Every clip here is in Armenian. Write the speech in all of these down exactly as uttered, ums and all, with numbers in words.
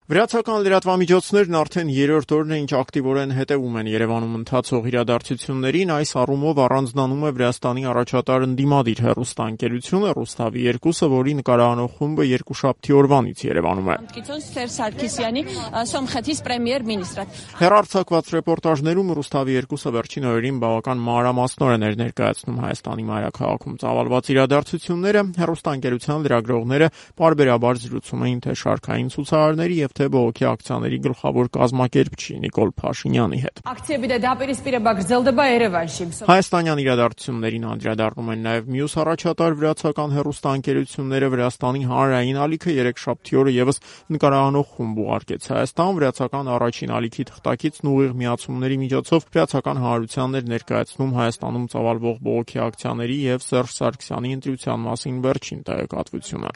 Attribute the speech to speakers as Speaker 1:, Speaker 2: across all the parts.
Speaker 1: Վրացական լրատվամիջոցներն արդեն երրորդ օրն է, ինչ ակտիվորեն հետևում են Երևանում ընթացող իրադարձություններին, այս առումով առանձնանում է Վրաստանի առաջատար ընդդիմադիր հեռուստաընկերությունը Ռուսթավի երկուսը, որի նկարահանող խումբը երկուշաբթի օրվանից Երևանում է։ Հեռարձակված ռեպորտաժներում Ռուսթավի երկուսը վերջին օրերին բավական մանրամասնորեն էր ներկայացնում Հայաստանի մայրաքաղաքում ծավալված իրադարձությունները, հեռուստաընկերության լրագրողները պարբերաբար զրուցում էին թե շարքային ցուցարարների եւ թե բողոքի ակցիաների գլխավոր կազմակերպչի Նիկոլ Փաշինյանի հետ։ Հայաստանյան իրադարձություններին անդրադառնում են նաև մյուս առաջատար վրացական հեռուստաընկերությունները։ Վրաստանի հանրային ալիքը երեքշաբթի օրը եւս նկարահանող խումբ ուղարկեց Հայաստան, վրացական առաջին ալիքի թղթակիցն ուղիղ միացումների միջոցով վրացական հանրությանն էր ներկայացնում Հայաստանում ծավալվող բողոքի ակցիաների եւ Սերժ Սարգսյանի ընտրության մասին վերջին տեղեկատվությունը։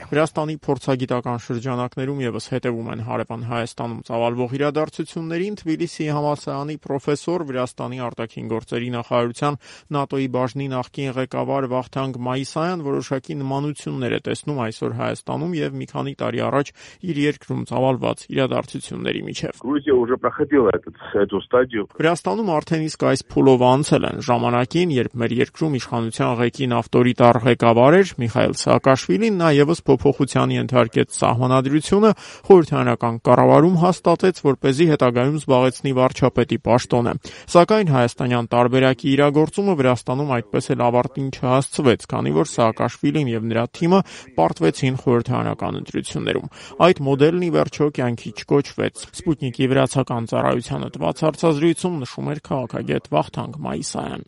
Speaker 1: Վրաստանի փորձագիտական շրջանակներում եւս հետևում են հարևան Հայաստանում ծավալվող իրադարձություններին։ Թբիլիսիի համալսարանի պրոֆեսոր, Վրաստանի արտաքին գործերի նախարարության ՆԱՏՕ-ի բաժնի նախկին ղեկավար Վախթանգ Մայիսայան որոշակի նմանություններ է տեսնում այսօր Հայաստանում եւ մի քանի տարի առաջ իր երկրում ծավալված իրադարձությունների միջև։ Վրաստանում արդեն իսկ այս փուլով անցել են ժամանակին, երբ մեր երկրում իշխանության ղեկին ավտորիտար ղեկավար էր Միխայիլ Սաակաշվիլին, նա եւս փոփոխության ենթարկեց սահմանադրությունը, խորհրդարանական կառավարում հաստատեց, որպեսզի հետագայում զբաղեցնի վարչապետի պաշտոնը։ Սակայն հայաստանյան տարբերակի իրագործումը Վրաստանում այդպես էլ ավարտին չհասցվեց, քանի որ Սաակաշվիլին եւ նրա թիմը պարտվեցին խորհրդարանական ընտրություններում։ Այդ մոդելն ի վերջո կյանքի չկոչվեց։ Սպուտնիկի վրացական ծառայությանը տված հարցազրույցում նշում էր քաղաքագետ Վախթանգ Մայիսայան։